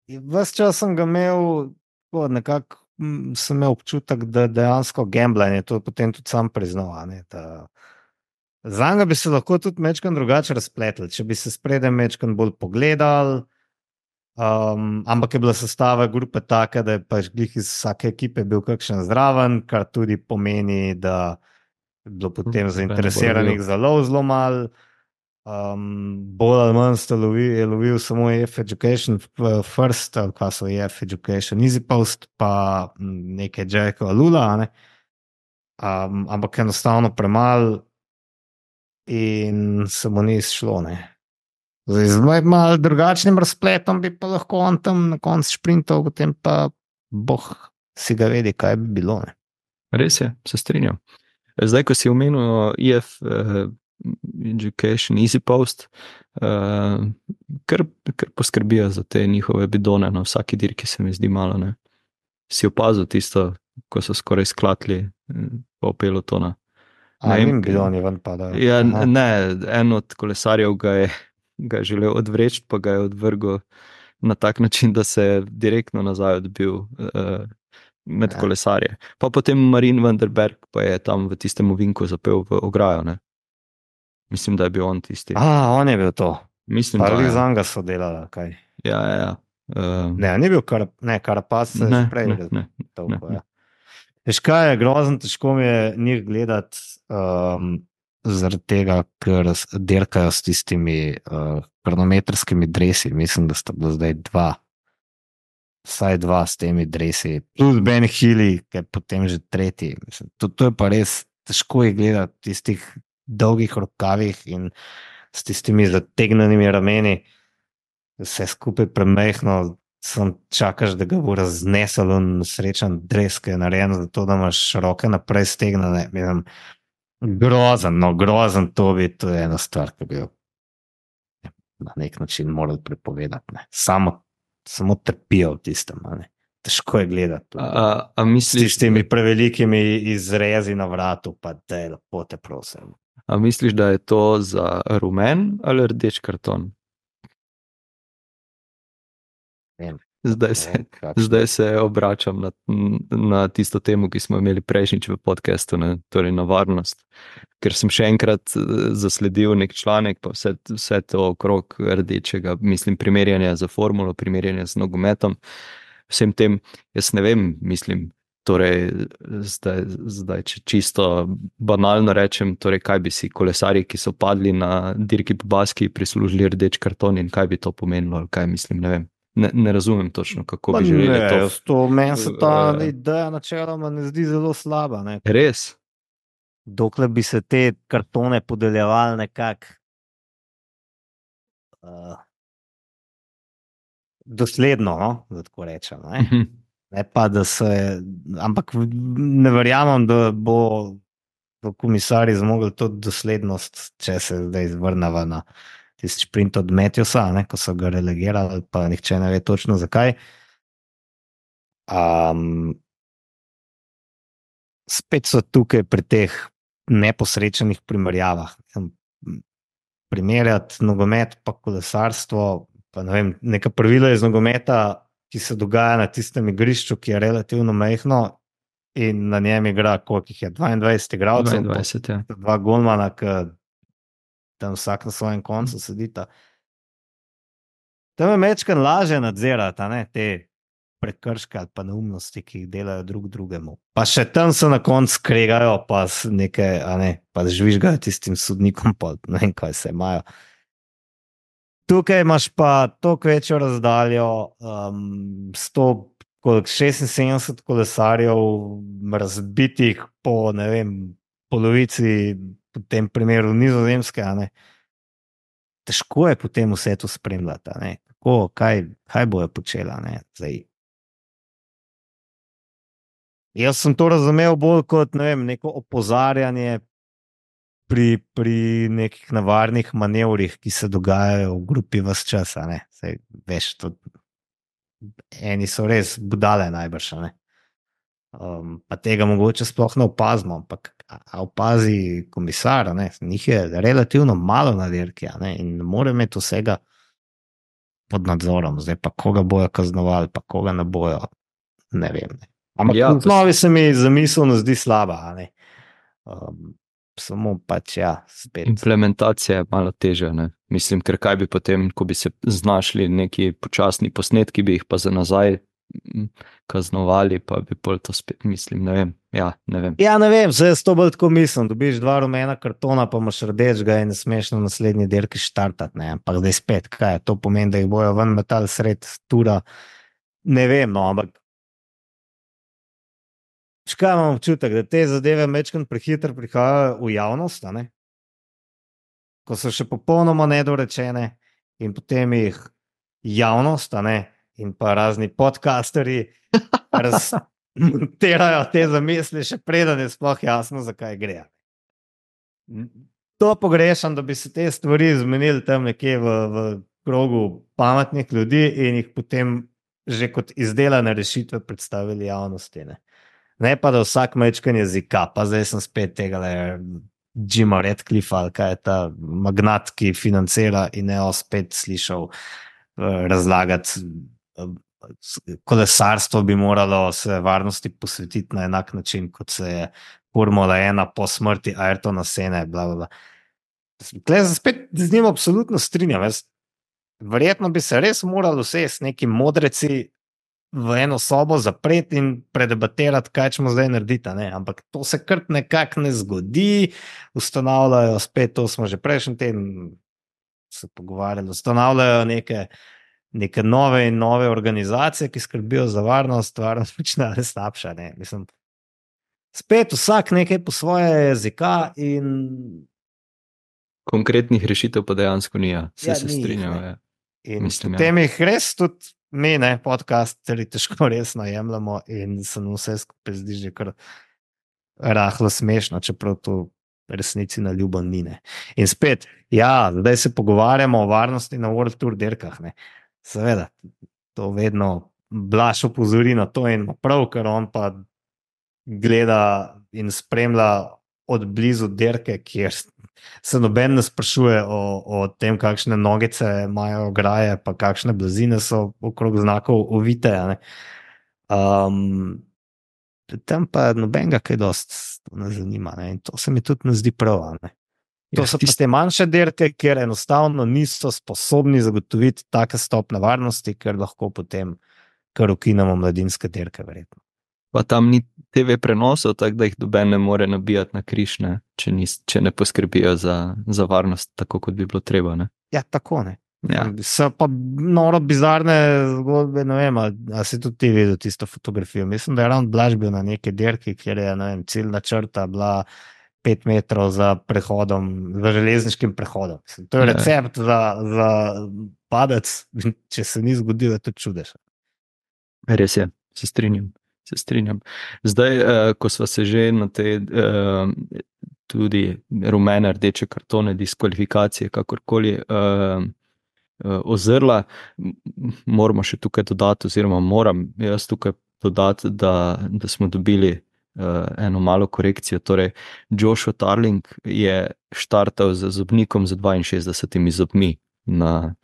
Speaker 2: ves čas sem ga imel, nekako sem imel občutek, da dejansko gambljanje, to potem tudi sam priznal, ne, da za njega bi se lahko tudi mečkan drugače razpletel, če bi se spredem mečkan bolj pogledal, um, ampak je bila sestava grupe taka, da je pač glih iz vsake ekipe bil kakšen zraven, kar tudi pomeni, da je bilo potem zainteresiranih zelo, zelo malo. Um, bolj ali manj sta lovil, je lovil samo E F Education First, ali pa so E F Education Easy Post, pa nekaj Jacka Lula, ne? um, ampak enostavno premalo in se mu ni izšlo. Zdaj, z malo drugačnim razpletom bi pa lahko on tam na koncu šprintov, potem pa boh si ga vedi, kaj bi bilo. Ne?
Speaker 1: Res je, se strinjam. Zdaj, ko si omenil E F uh, Education Easy Post, uh, kar, kar poskrbijo za te njihove bidone na vsaki dirki, se mi zdi malo. Ne? Si opazil tisto, ko so skoraj sklatli po pelotona.
Speaker 2: A jim bidoni ven padajo.
Speaker 1: Ja, ne, en od kolesarjev ga je, ga je želel odvreči, pa ga je odvrgel na tak način, da se je direktno nazaj odbil uh, med ja. kolesarje. Pa potem Marin van der Berg pa je tam v tistem ovinku zapel v ograjo. Ne? Mislim, da je bil on tisti.
Speaker 2: A, on je bil to.
Speaker 1: Mislim,
Speaker 2: pa
Speaker 1: da
Speaker 2: je. Pa Zanga so delala, kaj?
Speaker 1: Ja, ja, ja. Uh,
Speaker 2: ne, ni bil kar, ne, Carapaz se
Speaker 1: ne,
Speaker 2: že prej.
Speaker 1: Ne, ne,
Speaker 2: toliko,
Speaker 1: ne,
Speaker 2: ja. Veš kaj je grozno, težko mi je njih gledati um, zaradi tega, ker dirkajo s tistimi uh, kronometrskimi dresi. Mislim, da sta bila zdaj dva, vsaj dva s temi dresi. Plus Ben Hilly, ki je potem že tretji. Mislim, to, to je pa res težko je gledati v tistih dolgih rokavih in s tistimi zategnenimi rameni. Vse skupaj premehno. Sem čakaš, da ga bo raznesel in srečen dres, ki je narejen za to, da imaš roke naprej stegnene. Grozen, no grozen to bi, to je ena stvar, ki bi jo na nek način morali prepovedati. Ne. Samo, samo trpijo v tistem. Ne. Težko je gledati.
Speaker 1: A, a misliš,
Speaker 2: s temi prevelikimi izrezi na vratu, pa da je lepo te prosim.
Speaker 1: A misliš, da je to za rumen ali rdeč karton? Zdaj se, zdaj se obračam na, na tisto temo, ki smo imeli prejšnjič v podcastu, ne, torej na varnost. Ker sem še enkrat zasledil nek članek, pa vse, vse to okrog rdečega, mislim, primerjanja za formulo, primerjanja z nogometom, vsem tem, jaz ne vem, mislim, torej zdaj, zdaj če čisto banalno rečem, torej kaj bi si kolesarji, ki so padli na dirki po Baski, prislužili rdeč karton in kaj bi to pomenilo, ali kaj mislim, ne vem. Ne, ne razumem točno, kako bi želeli
Speaker 2: ne,
Speaker 1: to.
Speaker 2: to meni se ta uh, ideja načeloma ne zdi zelo slaba. Ne?
Speaker 1: Res?
Speaker 2: Dokler bi se te kartone podeljevali nekako uh, dosledno, no? Da tako rečem. Ne?
Speaker 1: Mhm.
Speaker 2: Ne pa, da se, ampak ne verjamem, da bo bo komisarji zmogli to doslednost, če se zdaj vrnava na tisti sprint od Matthewsa, ne, ko so ga relegirali, pa nihče ne ve točno zakaj. Um, spet so tukaj pri teh neposrečenih primerjavah. Primerjati nogomet pa kolesarstvo, pa ne vem, neka pravila iz nogometa, ki se dogaja na tistem igrišču, ki je relativno majhno in na njem igra, koliko jih je, dvaindvajset igralcev,
Speaker 1: dvaindvajset, ja.
Speaker 2: dva golmana, ki tam vsak na svojem koncu sedita. Tam je mečkan laže nadzirati, a ne, te prekrške ali pa neumnosti, ki jih delajo drug drugemu. Pa še tam se na koncu skregajo, pa s nekaj, a ne, pa žvižgajo tistim sodnikom, pa ne vem, kaj se imajo. Tukaj imaš pa toliko večjo razdaljo, um, sto, koliko, šestinsedemdeset kolesarjev razbitih po, ne vem, polovici, v tem primeru Nizozemske, a ne. Težko je potem vse to spremljati, a ne. Kako, kaj, kaj bojo počela, ne, zdaj. Jaz sem to razumel bolj kot, ne vem, neko opozarjanje pri, pri nekih nevarnih manevrih, ki se dogajajo v grupi ves čas, a ne. Zdaj, veš, to, eni so res budale najbrž, a ne. Um, pa tega mogoče sploh ne opazimo, ampak a, a opazi komisar, a ne, njih je relativno malo na dirki, a ne, in ne more imeti vsega pod nadzorom, zdaj pa koga bojo kaznovali, pa koga ne bojo, ne vem, ne. Ampak
Speaker 1: Ja,
Speaker 2: v osnovi se mi zamiselno zdi slaba, a ne. Um, samo pač, ja, spet.
Speaker 1: Implementacija je malo težja, ne. Mislim, ker kaj bi potem, ko bi se znašli neki počasni posnetki, bi jih pa za nazaj kaznovali, pa bi pol to spet, mislim, ne vem, ja, ne vem.
Speaker 2: Ja, ne vem, zdaj jaz to bolj tako mislim, dobiš dva rumena kartona, pa imaš rdečega in ne smeš na naslednji dirki štartati, ne, ampak zdaj spet, kaj je, to pomeni, da jih bojo ven metali sred tura, ne vem, no, ampak škaj imam občutek, da te zadeve mečkrat prehitro prihajajo v javnost, a ne? Ko so še popolnoma nedorečene in potem jih javnost, a ne, in pa razni podcasterji razmontirajo te zamisli, še preden je sploh jasno, zakaj gre. To pogrešam, da bi se te stvari zmenili tam nekje v, v krogu pametnih ljudi in jih potem že kot izdelane rešitve predstavili javnosti, ne. Ne pa, da vsak mečkan jezika, pa zdaj sem spet tega Jima Radcliffa, ali kaj je ta magnat, ki financira in ne spet slišal uh, razlagati, uh, kolesarstvo bi moralo se varnosti posvetiti na enak način, kot se je Formula ena po smrti Ayrtona Sene, bla, bla, bla. Tle se spet z njim absolutno strinjam. Jaz, verjetno bi se res morali vse s neki modreci v eno sobo zapreti in predebatirati, kaj ćemo zdaj narediti, ne? Ampak to se kar nekako ne zgodi, ustanavljajo spet, to smo že prejšnji teden se pogovarjali, ustanavljajo neke, neke nove in nove organizacije, ki skrbijo za varnost, varnost počne ali slabša, ne, mislim, spet vsak nekaj po svoje jezika in
Speaker 1: konkretnih rešitev pa dejansko ni, ja, se,
Speaker 2: ja,
Speaker 1: se
Speaker 2: ni,
Speaker 1: strinjam, ja.
Speaker 2: In
Speaker 1: Mislim,
Speaker 2: potem
Speaker 1: ja.
Speaker 2: jih res tudi mi, ne, podcasteri težko resno jemljamo in se nam vse skupaj zdi že kar rahlo smešno, čeprav to resnici na ljubo ni, ne. In spet, ja, zdaj se pogovarjamo o varnosti na World Tour dirkah, ne. Seveda, to vedno Blaž opozori na to in prav, ker on pa gleda in spremlja od blizu dirke, kjer se noben ne sprašuje o, o tem, kakšne nogice imajo ograje, pa kakšne blazine so okrog znakov ovite, ne. Um, tam pa nobenega kaj dost ne zanima, ne. In to se mi tudi ne zdi prav, ne. To
Speaker 1: Ja,
Speaker 2: so
Speaker 1: tist-
Speaker 2: pa te manjše dirke, kjer enostavno niso sposobni zagotoviti take stopne varnosti, ker lahko potem kar ukinemo mladinske dirke, verjetno.
Speaker 1: Pa tam ni te ve prenosov, tako da jih noben ne more nabijati na križ, ne, če, nis, če ne poskrbijo za, za varnost, tako kot bi bilo treba, ne.
Speaker 2: Ja, tako, ne.
Speaker 1: Ja.
Speaker 2: So pa noro bizarne zgodbe, ne vem, ali, ali si tudi ti videl tisto fotografijo. Mislim, da je ravno Blaž bil na neki dirki, kjer je, ne vem, ciljna črta bila pet metrov za prehodom, za železniškim prehodom. Mislim, to je recept ja. za, za padec, če se ni zgodilo, je to čudež.
Speaker 1: Res je, se strinjam. Se strinjam. Zdaj, eh, ko smo se že na te eh, tudi rumene, rdeče kartone, diskvalifikacije, kakorkoli eh, eh, ozrla, moramo še tukaj dodati, oziroma moram jaz tukaj dodati, da, da smo dobili uh, eno malo korekcijo. Torej, Joshua Tarling je štartal z zobnikom z dvainšestdesetimi zobmi na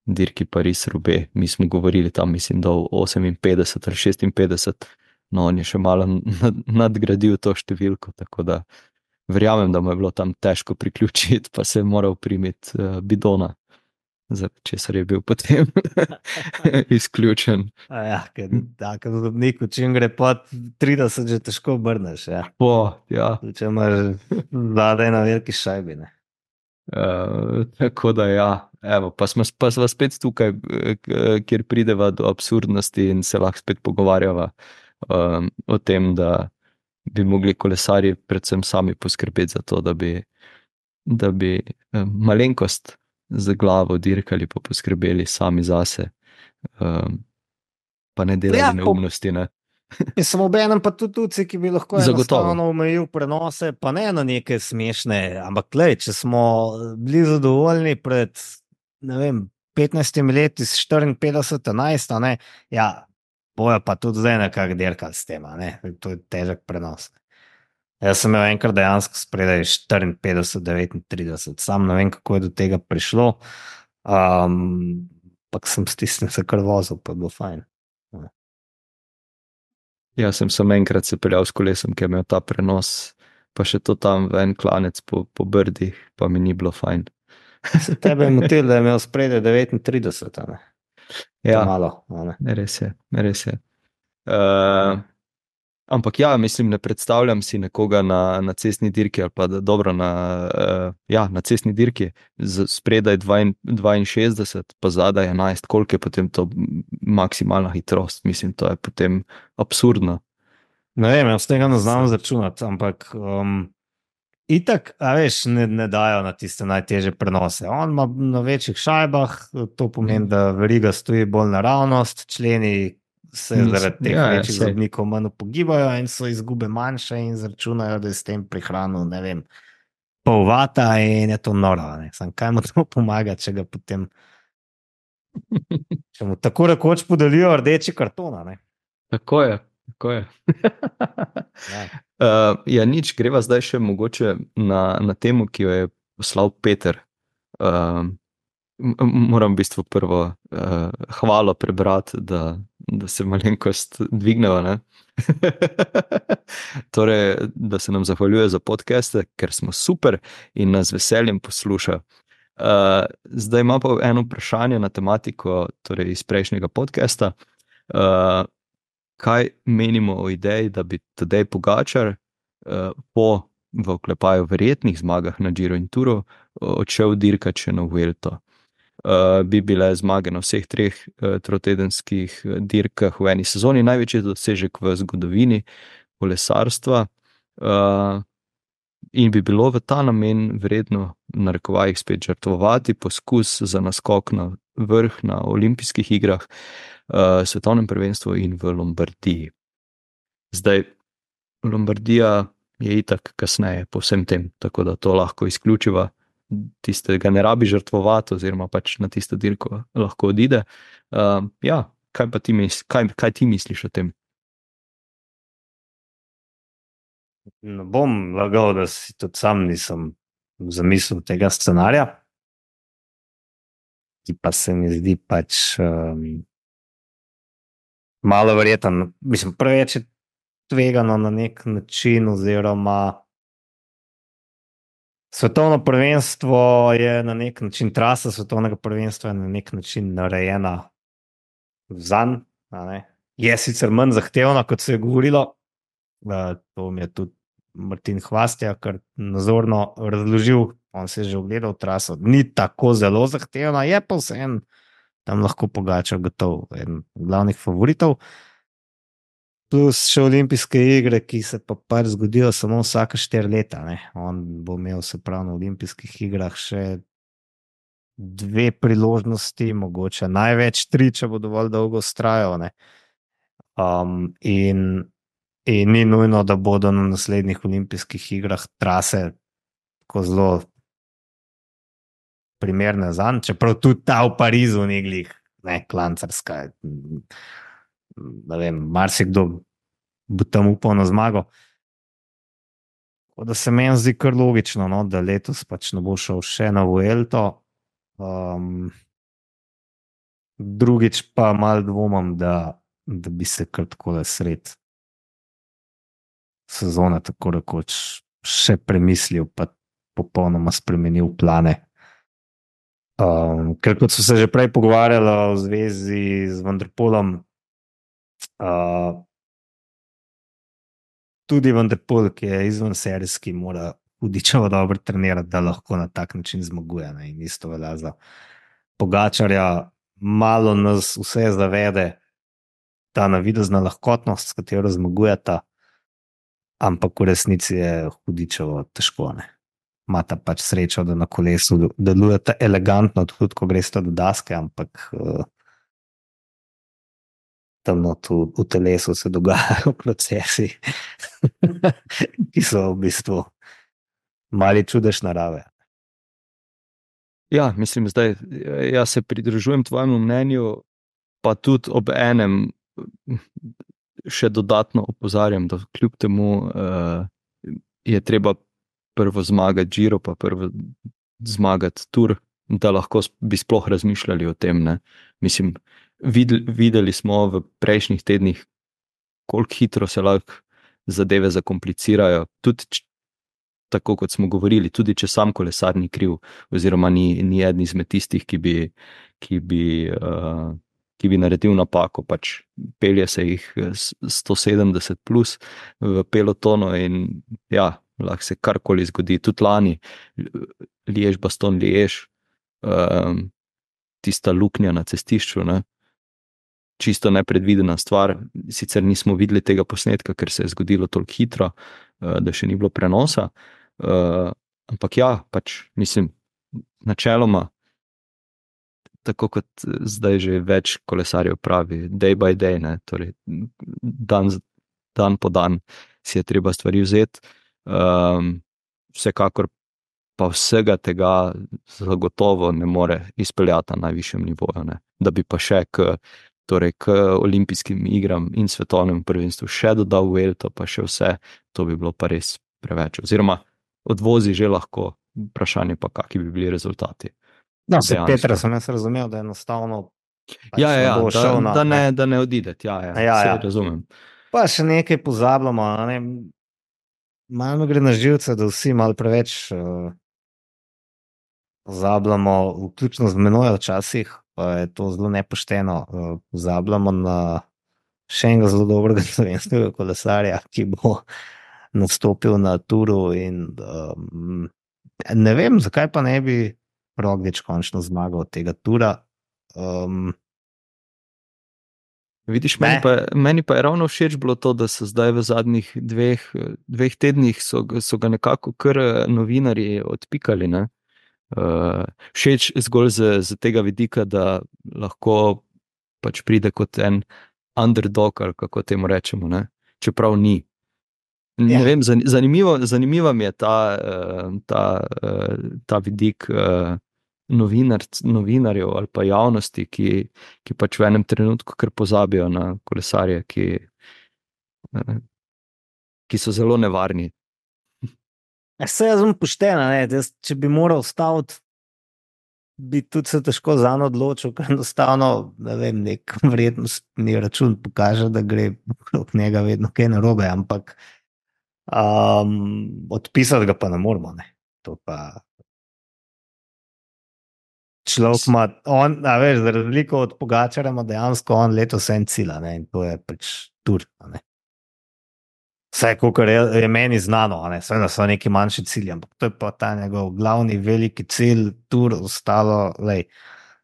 Speaker 1: dirki Paris-Roubaix. Mi smo govorili tam, mislim, da v oseminpetdeset ali šestinpetdeset, no on je še malo nadgradil to številko, tako da verjamem, da mu je bilo tam težko priključiti, pa se je moral primiti uh, bidona. Česar je bil potem izključen.
Speaker 2: Ja, tako da zobniku, čim gre pod trideset, že težko obrneš. Ja.
Speaker 1: Po, ja.
Speaker 2: Če imaš zadaj na veliki šajbi.
Speaker 1: Uh, tako da ja, evo, pa smo pa sva spet tukaj, kjer prideva do absurdnosti in se lahko spet pogovarjava um, o tem, da bi mogli kolesarji predvsem sami poskrbeti za to, da bi, da bi um, malenkost z glavo dirkali, pa poskrbeli sami zase, um, pa ne delali ja, neumnosti. Ne?
Speaker 2: Sem obenem pa tudi tuci, ki bi lahko enostavno omejil prenose, pa ne na neke smešne, ampak lej, če smo bili zadovoljni pred, ne vem, petnajstimi leti s štiriinpetdeset enajst, ne, ja, bojo pa tudi zdaj nekako dirkali s tem, ne, to je težek prenos. Jaz sem imel enkrat dejansko spredaj štiriinpetdeset devetintrideset, sam ne vem, kako je do tega prišlo, um, pa sem stisnil se kar vozil, pa je bilo fajn.
Speaker 1: Ja, sem sem enkrat se peljal s kolesom, ki je imel ta prenos, pa še to tam v en klanec po, po brdih, pa mi ni bilo fajn.
Speaker 2: Se tebe je motil, da je imel spredaj devetintrideset, ne?
Speaker 1: Ja,
Speaker 2: malo, ne?
Speaker 1: Res je, res je. Uh, Ampak ja, mislim, ne predstavljam si nekoga na, na cestni dirki ali pa da, dobro na, uh, ja, na cestni dirki z spredaj dvainšestdeset, pa zadaj enajst, koliko je potem to maksimalna hitrost. Mislim, to je potem absurdno.
Speaker 2: Ne vem, jaz tega ne znam zračunati, ampak um, itak, a veš, ne, ne dajo na tiste najtežje prenose. On ima na večjih šajbah, to pomeni, da veriga stoji bolj naravnost, členi se zaradi teh ja, večjih zobnikov manj pogibajo in so izgube manjše in zračunajo, da je s tem prihranil, ne vem, pol vata in je to noro. Sam kaj mu to pomaga, če ga potem če mu tako rekoč podelijo rdeči kartona. Ne?
Speaker 1: Tako je, tako je. ja. Uh, ja, nič, greva zdaj še mogoče na, na temu, ki jo je poslal Peter. Uh, moram v bistvu prvo uh, hvalo prebrati, da da se malenkost dvigneva, ne? Torej, da se nam zahvaljuje za podcaste, ker smo super in nas veseljem posluša. Uh, zdaj ima pa eno vprašanje na tematiko, torej iz prejšnjega podcasta. Uh, kaj menimo o ideji, da bi Tadej Pogačar uh, po v oklepaju verjetnih zmagah na Giro in Touru odšel dirkat še na Vuelto? Uh, bi bile zmage na vseh treh uh, trotedenskih dirkah v eni sezoni, največji dosežek v zgodovini kolesarstva uh, in bi bilo v ta namen vredno v narekovajih spet žrtvovati poskus za naskok na vrh na olimpijskih igrah, uh, svetovnem prvenstvu in v Lombardiji. Zdaj, Lombardija je itak kasneje po vsem tem, tako da to lahko izključiva. Tistega ne rabi žrtvovati, oziroma pač na tisto dirko lahko odide. Uh, ja, kaj pa ti, misli, kaj, kaj ti misliš o tem?
Speaker 2: Ne bom lagal, da si tudi sam nisem zamislil tega scenarija, ki pa se mi zdi pač um, malo verjeten. Mislim, preveč je tvegano na nek način, oziroma svetovno prvenstvo je na nek način, trasa svetovnega prvenstva je na nek način narejena zanj. Je sicer manj zahtevna, kot se je govorilo. To mi je tudi Martin Hvastija kar nazorno razložil. On se je že ogledal traso. Ni tako zelo zahtevna, je pa vseeno tam lahko Pogačar gotov eden glavnih favoritov. plus še olimpijske igre, ki se pa pač zgodijo samo vsake štiri leta. Ne. On bo imel se prav na olimpijskih igrah še dve priložnosti, mogoče največ tri, če bo dovolj dolgo vztrajal. Um, in, in ni nujno, da bodo na naslednjih olimpijskih igrah trase tako zelo primerne zanj, čeprav tudi ta v Parizu ni glih, ne, klancarska. Ne vem, marsikdo bo tam upal na zmago. Da se meni zdi kar logično, no, da letos pač ne bo šel še na Vuelto. Um, drugič pa malo dvomim, da, da bi se kar takole sred sezone tako rekoč še premislil, pa popolnoma spremenil plane. Um, ker kot so se že prej pogovarjali v zvezi z Van der Poelom, uh, tudi Van der Poel, ki je izven serijski, mora hudičevo dobro trenirati, da lahko na tak način zmaguje. Ne? In isto velja za Pogačarja. Malo nas vse zavede ta navidezna lahkotnost, s katero zmagujeta, ampak v resnici je hudičevo težko. Ne? Mata pač srečo, da na kolesu delujete elegantno, tudi ko greste do daske, ampak uh, tam v, v telesu se dogajajo procesi, ki so v bistvu mali čudež narave.
Speaker 1: Ja, mislim, zdaj jaz se pridružujem tvojemu mnenju, pa tudi ob enem še dodatno opozarjam, da kljub temu uh, je treba prvo zmagati Giro, pa prvo zmagati Tour, da lahko bi sploh razmišljali o tem. Ne? Mislim, videli, videli smo v prejšnjih tednih, koliko hitro se lahko zadeve zakomplicirajo, tudi tako kot smo govorili, tudi če sam kolesar ni kriv, oziroma ni, ni eden izmed tistih, ki bi, ki bi, uh, ki bi naredil napako, pač pelje se jih sto sedemdeset plus v pelotonu in ja, lahko se karkoli zgodi, tudi lani, Liež, Baston, Liež, um, tista luknja na cestišču, ne? Čisto nepredvidena stvar, sicer nismo videli tega posnetka, ker se je zgodilo toliko hitro, uh, da še ni bilo prenosa. Uh, ampak ja, pač mislim, načeloma, tako kot zdaj že več kolesarjev pravi, day by day, ne, torej dan, dan po dan si je treba stvari vzeti. Um, vsekakor pa vsega tega zagotovo ne more izpeljati na najvišjem nivoju, ne, da bi pa še k, torej k olimpijskim igram in svetovnem prvenstvu še dodal Vuelto, pa še vse, to bi bilo pa res preveč, oziroma odvozi že lahko, vprašanje pa, kakšni bi bili rezultati.
Speaker 2: No, se Petra sem jaz razumel, da je enostavno pač
Speaker 1: ja, ja,
Speaker 2: ne
Speaker 1: da,
Speaker 2: na,
Speaker 1: da, ne,
Speaker 2: ne.
Speaker 1: da ne odideti, ja, ja,
Speaker 2: ja,
Speaker 1: se
Speaker 2: ja.
Speaker 1: razumem.
Speaker 2: Pa še nekaj pozabljamo, ne? Malo gre na živce, da vsi malo preveč uh, pozabljamo, vključno z menoj včasih, pa je to zelo nepošteno, uh, pozabljamo na še enega zelo dobrega slovenskega kolesarja, ki bo nastopil na Touru in um, ne vem, zakaj pa ne bi Roglič končno zmagal od tega Toura. Um,
Speaker 1: Vidiš, meni pa, meni pa je ravno všeč bilo to, da so zdaj v zadnjih dveh, dveh tednih so, so ga nekako kar novinarji odpikali. Ne? Uh, všeč zgolj z, z tega vidika, da lahko pač pride kot en underdog, ali kako temu rečemo, ne? Čeprav ni. Ne ja. vem, zanimivo, zanimivo mi je ta, ta, ta vidik novinar, novinarjev ali pa javnosti, ki, ki pač v enem trenutku kar pozabijo na kolesarje, ki, ki so zelo nevarni.
Speaker 2: Se jaz sem poštena, ne? Če bi moral staviti, bi tudi se težko zanj odločil, ker enostavno, ne vem, nek vrednostni račun pokaže, da gre okrog njega vedno kaj narobe, ampak Um, odpisati ga pa ne moramo. Ne. To pa človek ima, on, a veš, za razliko od Pogačarja ima dejansko on letos en cilj, ne, in to je pač Tour. Vse, kar je, je meni znano, ne, seveda so neki manjši cilji, ampak to je pa ta njegov glavni veliki cilj, Tour, ostalo, lej,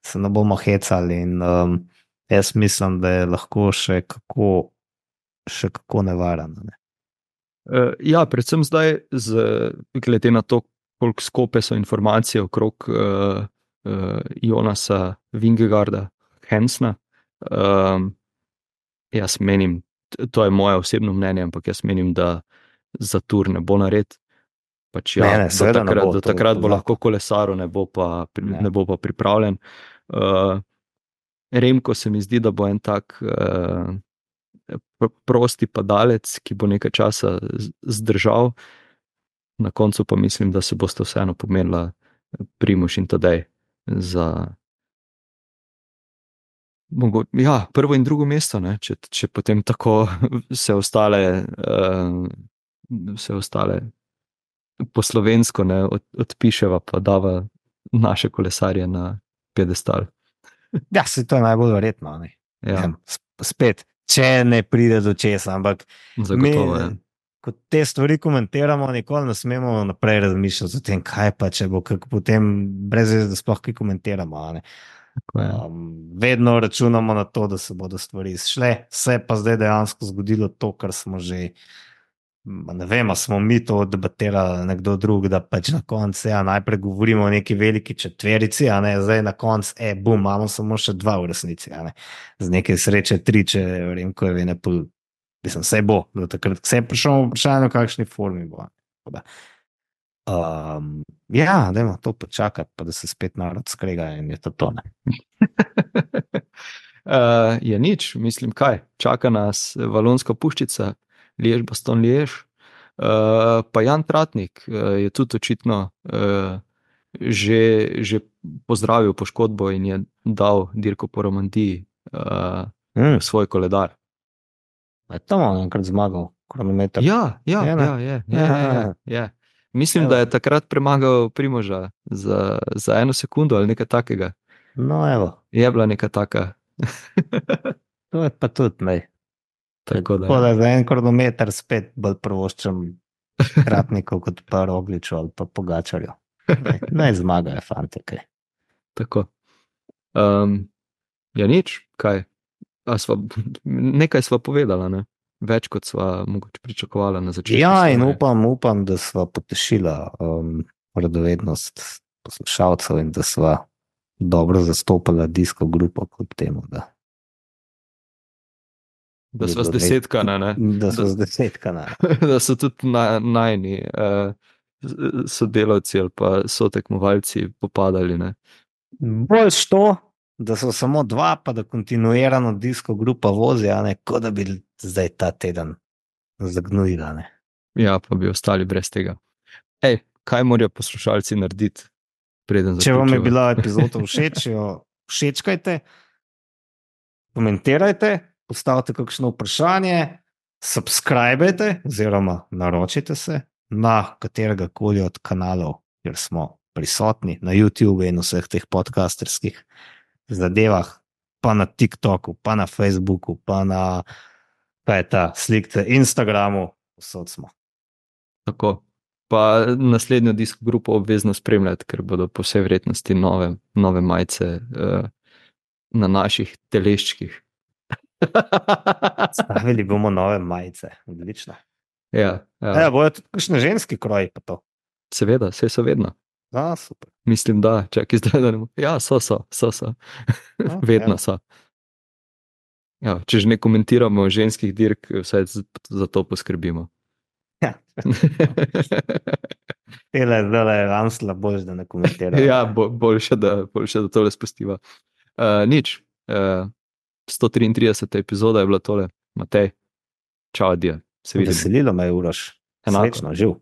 Speaker 2: se ne bomo hecali in um, jaz mislim, da je lahko še kako še kako nevarno. Ne?
Speaker 1: Uh, ja, predvsem zdaj, z, glede na to, koliko skope so informacije okrog uh, uh, Jonasa Vingegaarda, Hensna. Um, jaz menim, to je moje osebno mnenje, ampak jaz menim, da za tur ne bo nared. Pač ja,
Speaker 2: Ne, ne,
Speaker 1: do
Speaker 2: seveda ne
Speaker 1: takrat,
Speaker 2: bo,
Speaker 1: do
Speaker 2: to je
Speaker 1: takrat bo
Speaker 2: zakon.
Speaker 1: lahko kolesaril, ne bo pa, pri-
Speaker 2: Ja.
Speaker 1: ne bo pa pripravljen. Uh, Remko se mi zdi, da bo en tak uh, pr- prosti padalec, ki bo nekaj časa z- zdržal. Na koncu pa mislim, da se boste vseeno pomerila Primož in Tadej za mogo, ja, prvo in drugo mesto, ne, če, če potem tako vse ostale, uh, vse ostale po slovensko ne, od, odpiševa, pa dava naše kolesarje na pedestal.
Speaker 2: Ja, se to je najbolj verjetno. Ne?
Speaker 1: Ja,
Speaker 2: Ja, sp- spet, če ne pride do česa, ampak
Speaker 1: zagotovo je.
Speaker 2: mi, ko te stvari komentiramo, nikoli ne smemo naprej razmišljati o tem, kaj pa če bo, kako potem brez veze, da sploh kaj komentiramo. a ne.
Speaker 1: Tako je.
Speaker 2: Um, vedno računamo na to, da se bodo stvari izšle, se je pa zdaj dejansko zgodilo to, kar smo že. Ma Ne vem, ali smo mi to debatirali, ali nekdo drug, da pač na koncu ja, najprej govorimo o neki veliki četverici, a ne zdaj na koncu, e, bum, imamo samo še dva v resnici, a ne z neke sreče tri, če vem, ko je vene pol, mislim, vse bo, do takrat, vse je prišlo v vprašanje, v kakšni formi bo. Tako da, Um, ja, dajmo to počakati, pa da se spet narod skrega in je to tone.
Speaker 1: Uh, je nič, mislim, kaj. Čaka nas Valonska puščica, Liež, Baston Liež. Uh, pa Jan Tratnik uh, je tudi očitno uh, že, že pozdravil poškodbo in je dal dirko po Romandiji uh,
Speaker 2: Mm,
Speaker 1: v svoj koledar.
Speaker 2: je to malo enkrat zmagal, kronometer.
Speaker 1: Ja, ja,
Speaker 2: Je, ne?
Speaker 1: ja, je, je, je, je, je. Mislim,
Speaker 2: Evo.
Speaker 1: da je takrat premagal Primoža za, za eno sekundo ali nekaj takega.
Speaker 2: No, evo,
Speaker 1: Je bila neka taka.
Speaker 2: to je pa tudi, ne.
Speaker 1: Tako da,
Speaker 2: Tako da
Speaker 1: ja.
Speaker 2: za en kronometer spet bolj prvoščam Tratnikov kot pa Rogliču ali pa Pogačarju. Naj, naj zmagajo, fante, kaj.
Speaker 1: Tako. Um, ja, nič, kaj. A sva, nekaj sva povedala, ne? Več kot sva mogoče pričakovala na začetku.
Speaker 2: Ja, in
Speaker 1: sezone.
Speaker 2: upam, upam, da sva potešila um, radovednost poslušalcev in da sva dobro zastopala disko grupo kljub temu, da,
Speaker 1: Da
Speaker 2: je
Speaker 1: sva
Speaker 2: bilo
Speaker 1: zdesetkana, ne?
Speaker 2: da
Speaker 1: Da,
Speaker 2: sva zdesetkana.
Speaker 1: da so tudi na, najni uh, sodelavci ali pa sotekmovalci popadali, ne?
Speaker 2: Boljš to, da so samo dva, pa da kontinuirano disko grupa vozi, a ne kot da bi zdaj ta teden zagnujila. Ne.
Speaker 1: Ja, pa bi ostali brez tega. Ej, kaj morajo poslušalci narediti, preden
Speaker 2: Če vam je
Speaker 1: zaključiva?
Speaker 2: bila epizoda všeč, jo všečkajte, komentirajte, postavite kakšno vprašanje, subskrbajte oziroma naročite se na katerega koli od kanalov, kjer smo prisotni, na YouTube in vseh teh podcasterskih zadevah, pa na TikToku, pa na Facebooku, pa na kaj je ta slikce Instagramu, vsod smo.
Speaker 1: Tako. Pa naslednjo disko grupo obvezno spremljati, ker bodo po vsej verjetnosti nove, nove majice uh, na naših teleščkih.
Speaker 2: Stavili bomo nove majice, odlično.
Speaker 1: Ja,
Speaker 2: Ja,
Speaker 1: ja.
Speaker 2: bojo tudi kakšne ženski kroji pa to.
Speaker 1: Seveda, vse so vedno.
Speaker 2: A, super.
Speaker 1: Mislim, da, čakaj zdaj, da ne bo. Ja, so, so, so, so.
Speaker 2: No,
Speaker 1: Vedno
Speaker 2: evo.
Speaker 1: so. Ja, če že ne komentiramo ženskih dirk, vsaj z- za to poskrbimo.
Speaker 2: Ja. Tele zdaj je Ansla bož, da ne komentira.
Speaker 1: Ja, bo, boljše, da, boljše, da tole spustiva. Uh, nič. Uh, sto triintrideseta epizoda je bila tole. Matej, čau, adijo. Se vidimo.
Speaker 2: Veselilo me je, Uroš.
Speaker 1: Enako.
Speaker 2: Srečno, živ.